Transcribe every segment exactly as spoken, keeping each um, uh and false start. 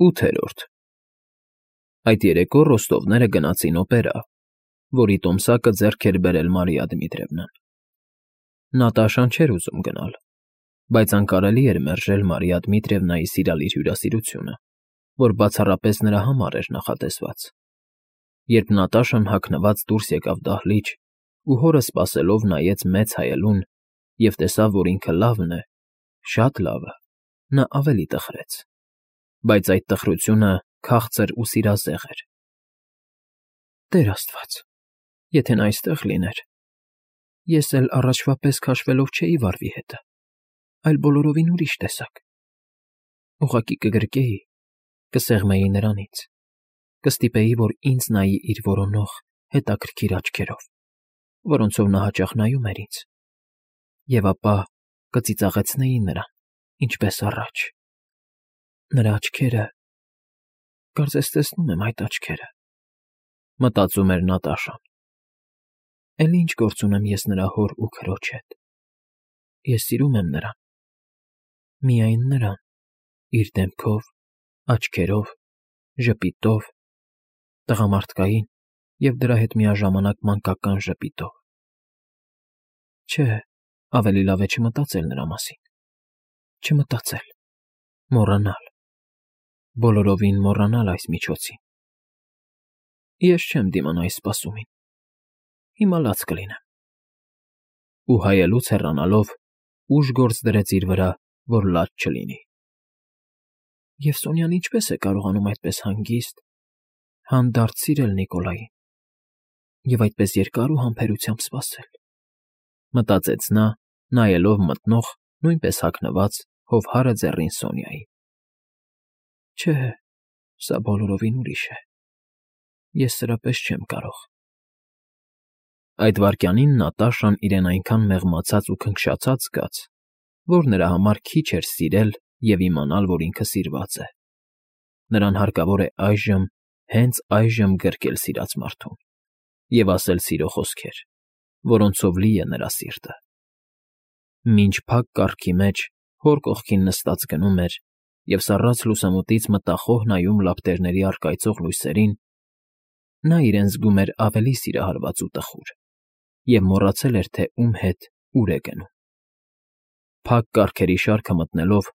ՈՒԹԵՐՈՐԴ Այդ երեկո Ռոստովները գնացին օպերա, որի տոմսակը ձեռք էր բերել Մարիա Դմիտրևնան. Նատաշան չէր ուզում գնալ, բայց անկարելի էր մերժել Մարիա Դմիտրևնայի սիրալիր հյուրասիրությունը, որ բացառապես նրա համար էր նախատեսված։ Երբ Նատաշան հագնված դուրս եկավ դահլիճ ու հորը սպասելով նայեց մեծ հայելուն և տեսավ, որ ինքը լավն է, շատ լավը, նա ավելի տխրեց, բայց այդ տխրությունը քաղցր ու սիրազեղ էր։ «Տեր Աստված, եթե նա այստեղ լիներ, ես էլ առաջվա պես քաշվելով չէի վարվի հետը, այլ բոլորովին ուրիշ տեսակ, ուղղակի կգրկեի, կսեղմեի նրանից, կստիպեի, որ ինձ նայի իր որոնող, հետաքրքիր աչքերով, որոնցով նա հաճախ նայում էր ինձ, և ապա կծիծաղեցնեի նրան, ինչպես առաջ։ Նրա աչքերը… կարծես տեսնում եմ այդ աչքերը», մտածում էր Նատաշան։ «Էլի ինչ գործ ունեմ ես նրա հոր ու քրոջ հետ… Ես սիրում եմ նրան, միայն նրան, իր դեմքով, աչքերով, ժպիտով, տղամարդկային և դրա հետ միաժամանակ մանկական ժպիտով… Չէ, ավելի լավ է չմտածել նրա մասին, չմտածել, մոռանալ, բոլորովին մոռանալ այս միջոցին… Ես չեմ դիմանա այս սպասումին, հիմա լաց կլինեմ»։ Ու հայելուց հեռանալով ուժ գործ դրեց իր վրա, որ լաց չլինի։ «Եվ Սոնյան ինչպե՞ս է կարողանում այդպես հանգիստ, հանդարտ սիրել Նիկոլային և այդպես երկար ու համբերությամբ սպասել», մտածեց նա, նայելով մտնող, նույնպես հագնված, հովհարը ձեռին Սոնյային։ «Չէ, սա բոլորովին ուրիշ է, ես սրա պես չեմ կարող»։ Այդ վայրկյանին Նատաշան իրեն այնքան մեղմացած ու քնքշացած զգաց, որ նրա համար քիչ էր սիրել և իմանալ, որ ինքը սիրված է։ Նրան հարկավոր է այժմ, հենց այժմ գրկել սիրած մարդուն և ասել սիրո խոսքեր, որոնցով լի է նրա սիրտը։ Մինչ փակ կառքի մեջ հոր կողքին նստած գնում էր և սառած լուսամուտից մտախոհ նայում լապտերների առկայծող լույսերին, նա իրեն զգում էր ավելի սիրահարված ու տխուր և մոռացել էր, թե ում հետ ուր է գնում։ Փակ կառքերի շարքը մտնելով,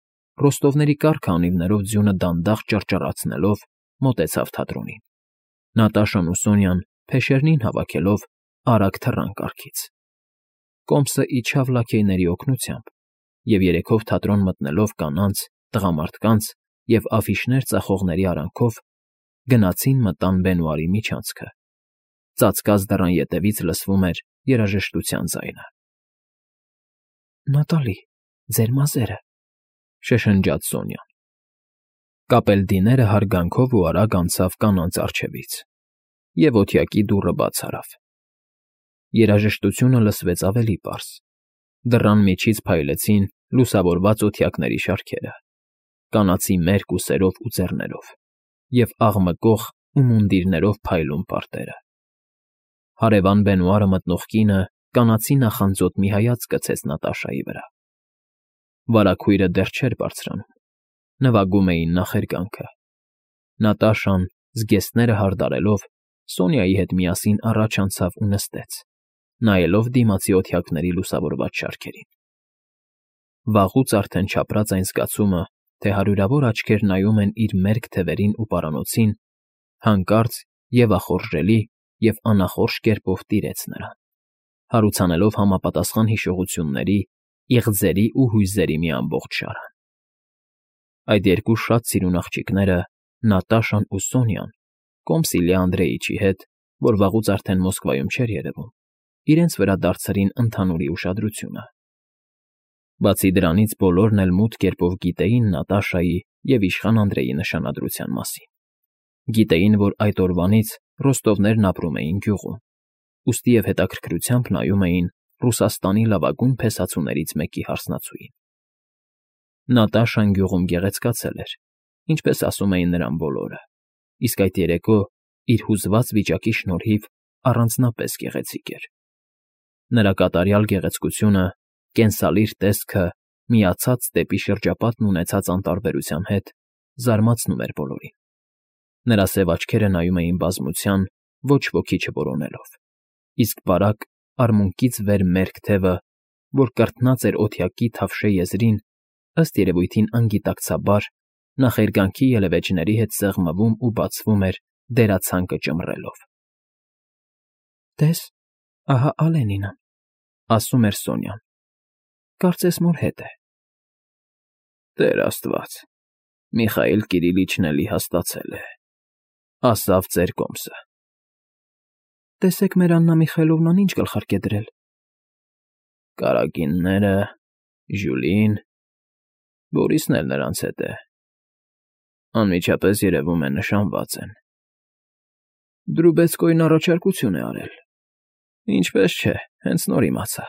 Ռոստովների կառք֊անիվներով ձյունը դանդաղ ճռճռացնելով, մոտեցավ թատրոնին։ Նատաշան ու Սոնյան, փեշերնին հավաքելով, արագ թռան կառքից։ Կոմսը իջավ լաքեյների օգնությամբ, և երեքով թատրոն մտնելով կանանց, տղամարդկանց և աֆիշներ ծախողների արանքով, գնացին մտան բենուարի միջանցքը։ Ծածկած դռան ետևից լսվում էր երաժշտության ձայնը։ «Նատալի, ձեր մազերը», շշնջաց Սոնյան։ Կապելդիները հարգանքով ու արագ անցավ կանանց առջևից, և օթյակի դուռը բաց արավ։ Երաժշտությունը լսվեց ավելի պարզ։ Դռան միջից փայլեցին լուսավորված օթյակների շարքերը, կանացի մերկ ու սերով ու ձեռներով, և աղմկող ու մունդիրներով փայլուն պարտերը։ Հարևան բենուարը մտնող կինը կանացի նախանձոտ մի հայացք գցեց Նատաշայի վրա։ Վարագույրը դեռ չէր բարձրանում, նվագում էին նախերգանքը։ Նատաշան, զգեստները հարդարելով, Սոնյայի հետ միասին առաջ անցավ ու նստեց, նայելով դիմացի օթյակների լուսավորված շարքերին։ Վաղուց արդեն չապրած այն զգացումը, թե հարյուրավոր աչքեր նայում են իր մերկ թևերին ու պարանոցին, հանկարծ և ախորժելի և անախորժ կերպով տիրեց նրան, հարուցանելով համապատասխան հիշողությունների, իղձերի ու հույզերի մի ամբողջ շարան։ Այդ երկու շատ սիրուն աղջիկները՝ Նատաշան ու Սոնյան, կոմս Իլյա Անդրեիչի հետ, որ վաղուց արդեն Մոսկվայում չէր երևում, իրենց վրա դարձրին ընդհանուրի ուշադրությունը։ Բացի դրանից բոլորն էլ մութ կերպով գիտեին Նատաշայի և իշխան Անդրեի նշանադրության մասին։ Գիտեին, որ այդ օրվանից Ռոստովներն ապրում էին գյուղում, ուստի և հետաքրքրությամբ նայում էին Ռուսաստանի լավագույն փեսացուներից մեկի հարսնացուին։ Նատաշան գյուղում գեղեցկացել էր, ինչպես ասում էին նրան բոլորը, իսկ այդ երեկո, իր հուզված վիճակի շնորհիվ, առանձնապես գեղեցիկ էր։ Նրա կատարյալ գեղեցկությունը, կենսալիր տեսքը, միացած դեպի շրջապատն ունեցած անտարբերության հետ, զարմացնում էր բոլորին։ Նրա սև աչքերը նայում էին բազմության, ոչ ոքի չորոնելով, իսկ բարակ, արմունկից վեր մերկ թևը, որ կրտնած էր օդյակի թավշե եզրին, ըստ երևույթին անգիտակցաբար, նախերգանքի ելևէջների հետ սեղմվում ու բացվում էր դերացանկը ճմռելով։ ֊ Տես, ահա Ալենինն,֊ ասում էր Սոնյան,֊ կարծես մոր հետ է։ ֊ Տեր աստված, Միխայիլ Կիրիլիչն էլի հաստացել է,֊ ասավ ծեր կոմսը։ ֊ Տեսեք, մեր Աննա Միխայիլովնան ինչ գլխարկ է դրել։ ֊ Կարագինները, Ժյուլին, Բորիսն էլ նրանց հետ է, անմիջապես երևում է նշանված են։ ֊ Դրուբեցկոյին առաջարկություն է արել։ ֊ Ինչպես չէ, հենց նոր իմացա,֊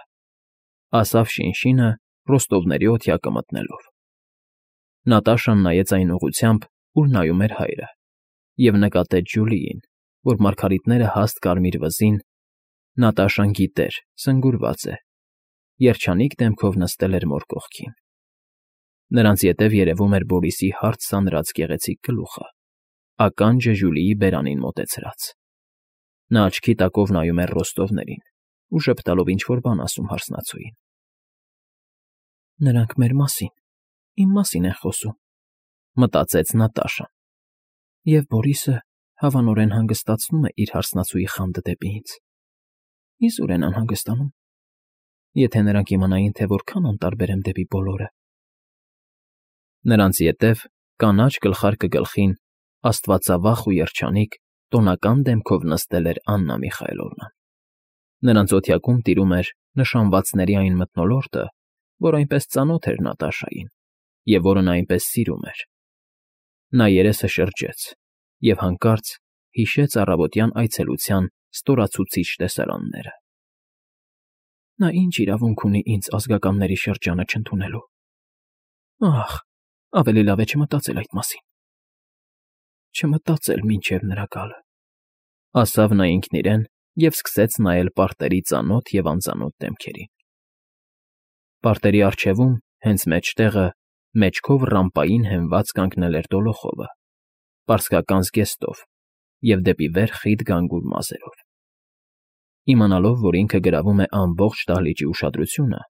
ասավ Շինշինը Ռոստովների օդյակը մտնելով։ Նատաշան նայեց այն ուղղությամբ, ուր նայում էր հայրը, և նկատեց Ջուլիին, որ մարգարիտները հաստ կարմիր վզին, Նատաշան գիտեր, սնգուրված է, երջանիկ դեմքով նստել էր մոր կողքին։ Նրանց ետև երևում էր Բորիսի հարթ սանրած գեղեցիկ գլուխը, ականջը Ժյուլիի բերանին մոտեցրած։ Նա աչքի տակով նայում էր Ռոստովներին ու ժպտալով ինչ֊որ բան ասում հարսնացուին։ «Նրանք մեր մասին, իմ մասին են խոսում,֊ մտածեց Նատաշան,֊ և Բորիսը հավանորեն հանգստացնում է իր հարսնացուի խանդը դեպի ինձ։ Իզուր են անհանգստանում, եթե նրանք իմանային, թե որքան անտարբեր եմ դեպի բոլորը»։ Նրանց ետև, կանաչ գլխարկը գլխին, աստվածավախ ու երջանիկ, տոնական դեմքով նստել էր Աննա Միխայիլովնան։ Նրանց օդյակում տիրում էր նշանվածների այն մթնոլորտը, որ այնպես ծանոթ էր Նատաշային և որը նա այնպես սիրում էր։ Նա երեսը շրջեց և հանկարծ հիշեց առավոտյան այցելության ստորացուցիչ տեսարանները։ Նա ինչ իրավունք ունի ինձ ազգականների շրջանը չընդունելու։ Ախ, ավելի լավ է չմտածել այդ մասին։ Չմտածել մինչև նրա գալը, ասավ նա ինքն իրեն և սկսեց նայել պարտերի ծանոթ և անծանոթ դեմքերին։ Պարտերի առջևում, հենց մեջտեղը, մեջքով ռամպային հենված կանգնել էր Դոլոխովը, պարսկական զգեստով և դեպի վեր խիտ գանգուր մազերով։ Իմանալով, որ ինքը գրավում է ամբողջ դահլիճի ուշադրությունը,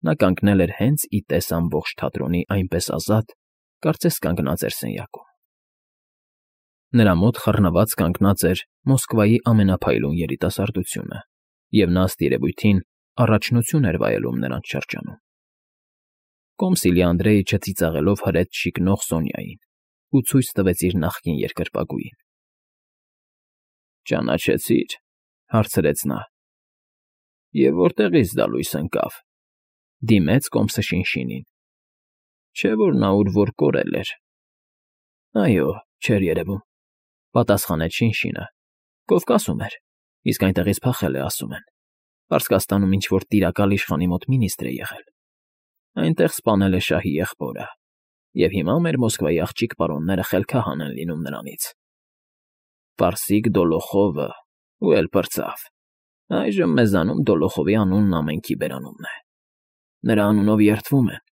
նա կանգնել էր հենց ի տես ամբողջ թատրոնի այնպես ազատ, կարծես կանգնած էր սենյակում։ Նրա մոտ խռնված կանգնած էր Մոսկվայի ամենափայլուն երիտասարդությունը, և նա, ըստ երևույթին, առաջնություն էր վայելում նրանց շրջանում։ Կոմս Իլյա Անդրեիչը ծիծաղելով հրեց շիկնող Սոնյային ու ցույց տվեց իր նախկին երկրպագուին։ ֊ Ճանաչեցի՞ր,֊ հարցրեց նա։ ֊ Եվ որտեղից դա լույս ընկավ,֊ դիմեց կոմսը Շինշինին։ ֊ Չէ՞ որ նա ուր որ կորել էր։ ֊ Այո, չէր երևում,֊ պատասխանեց Շինշինը,֊ Կովկասում էր, իսկ այնտեղից փախել է, ասում են։ Պարսկաստանում ինչ֊որ տիրակալ իշխանի մոտ մինիստրը եղել։ Այնտեղ սպանել է շահի եղբորը, և հիմա մեր Մոսկվայի աղջիկ պարոնները խելքահան են լինում նրանից։ Պարսիկ Դոլոխովը, ու էլ պրծավ։ Այժմ մեզանում Դոլոխովի անունն ամենքի բերանունն է։ Նրա անունով երդվում են,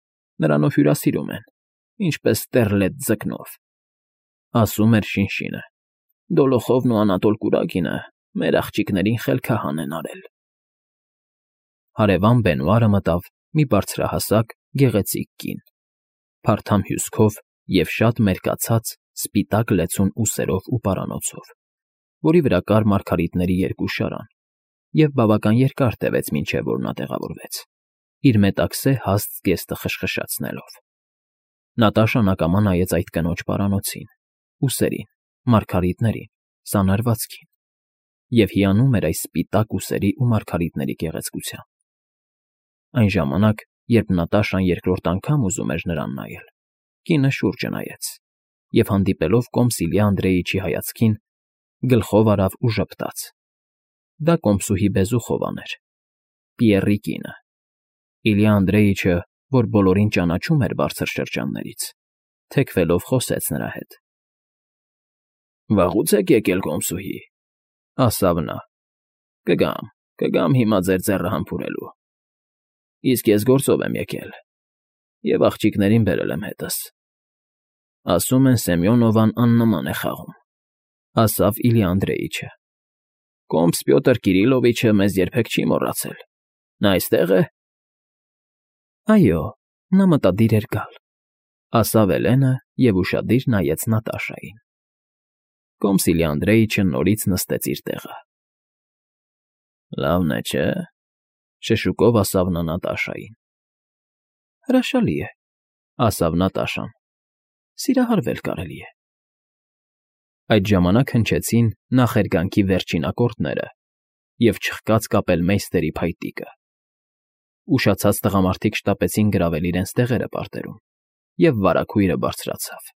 նրանով հյուրասիրում են, ինչպես ստեռլետ ձկնով,֊ ասում էր Շինշինը։ Դոլոխովն ու Անատոլ Կուրակինը մեր աղջիկներին խելքահան են արել։ Հարևան Բենուարը մտավ մի բարձրահասակ, գեղեցիկ կին, փարթամ հյուսքով և շատ մերկացած, սպիտակ լեցուն ուսերով ու պարանոցով, որի վրա կար մարգարիտների երկու շարան, և բավական երկար տևեց, մինչև որ նա տեղավորվեց, իր մետաքսե հաստ զգեստը խշխշացնելով։ Նատաշան ակամա նայեց այդ կնոջ պարանոցին, ուսերին, մարգարիտներին, սանրվածքին և հիանում էր այս սպիտակ ուսերի ու մարգարիտների գեղեցկությամբ։ Այն ժամանակ, երբ Նատաշան երկրորդ անգամ ուզում էր նրան նայել, կինը շուրջը նայեց և, հանդիպելով կոմս Իլյա Անդրեիչի հայացքին, գլխով արավ ու ժպտաց։ Դա կոմսուհի Բեզուխովան էր, Պիեռի կինը։ Իլյա Անդրեիչը, որ բոլորին ճանաչում էր բարձր շրջաններից, թեքվելով խոսեց նրա հետ։ ֊ Վաղուց եք եկել, կոմսուհի,֊ ասավ նա։ ֊ Կգամ, կգամ հիմա ձեր ձեռը համբուրելու։ Իսկ ես գործով եմ եկել և աղջիկներին բերել եմ հետս։ Ասում են Սեմյոնովան աննման է խաղում,֊ ասավ Իլյա Անդրեիչը։ Կոմս Պյոտր Կիրիլովիչը մեզ երբեք չի մոռացել։ Նա այստե՞ղ է։ Այո, նա մտադիր էր գալ,֊ ասավ Էլենը և ուշադիր նայեց Նատաշային։ Կոմս Իլյա Անդրեիչը նորից նստեց իր տեղը։ Լավն է, չէ՞, շշուկով ասավ նա Նատաշային։ Հրաշալի է,֊ ասավ Նատաշան։ Սիրահարվել կարելի է։ Այդ ժամանակ հնչեցին նախերգանքի վերջին ակորդները և չխկաց կապել մեյստերի փայտիկը։ Ուշացած տղամարդիկ շտապեցին գրավել իրենց տեղերը պարտերում, և վարագույրը բարձրացավ։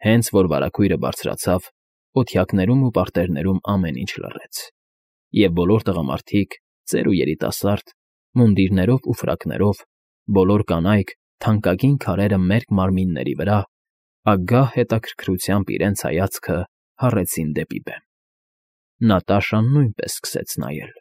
Հենց որ վարագույրը բարձրացավ, օթյակներում ու պարտերներում ամեն ինչ լռեց, և բոլոր տղամարդիկ, ծեր ու երիտասարդ, մունդիրներով ու ֆրակներով, բոլոր կանայք թանկագին քարերը մերկ մարմինների վրա, ագահ հետաքրքրությամբ իրենց հայացքը հառեցին դեպի բեմ։ Նատաշան նույնպես սկսեց նայել։